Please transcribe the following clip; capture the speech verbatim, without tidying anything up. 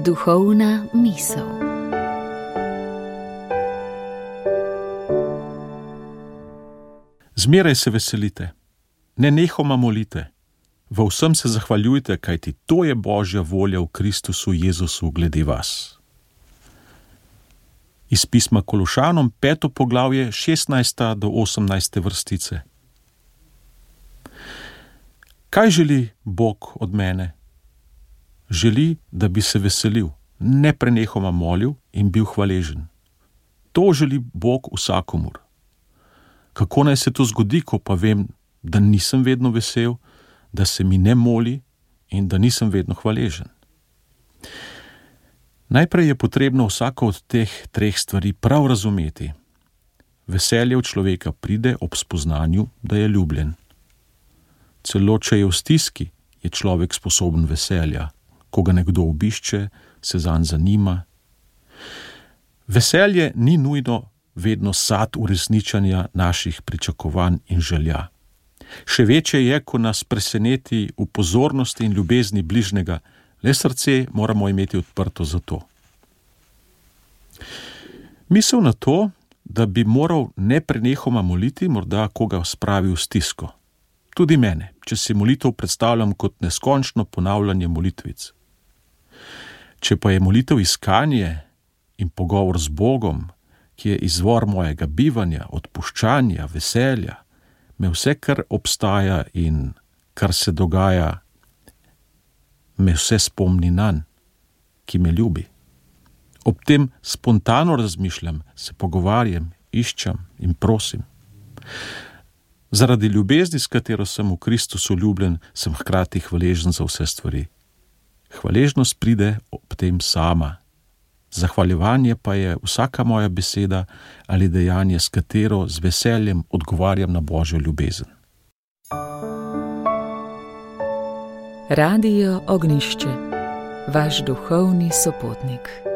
Duhovna misel. Zmeraj se veselite, nenehoma molite, v vsem se zahvaljujte, kajti to je Božja volja v Kristusu Jezusu glede vas. Iz pisma Kološanom, peto poglavje, šestnajsta do osemnajste vrstice. Kaj želi Bog od mene? Želi, da bi se veselil, neprenehoma molil in bil hvaležen. To želi Bog vsakomur. Kako naj se to zgodi, ko pa vem, da nisem vedno vesel, da se mi ne moli in da nisem vedno hvaležen? Najprej je potrebno vsako od teh treh stvari prav razumeti. Veselje v človeka pride ob spoznanju, da je ljubljen. Celo če je v stiski, je človek sposoben veselja. Ko ga nekdo obišče, se zanj zanima. Veselje ni nujno vedno sad uresničanja naših pričakovanj in želja. Še večje je, ko nas preseneti v pozornosti in ljubezni bližnjega, le srce moramo imeti odprto za to. Misel na to, da bi moral neprenehoma moliti, morda koga spravi v stisko. Tudi mene, če si molitev predstavljam kot neskončno ponavljanje molitvic. Če pa je molitev iskanje in pogovor z Bogom, ki je izvor mojega bivanja, odpuščanja, veselja, me vse, kar obstaja in kar se dogaja, me vse spomni nanj, ki me ljubi. Ob tem spontano razmišljam, se pogovarjam, iščem in prosim. Zaradi ljubezni, s katero sem v Kristusu ljubljen, sem hkrati hvaležen za vse stvari. Hvaležnost pride ob tem sama. Zahvaljevanje pa je vsaka moja beseda ali dejanje, s katero z veseljem odgovarjam na Božjo ljubezen. Radio Ognjišče, vaš duhovni sopotnik.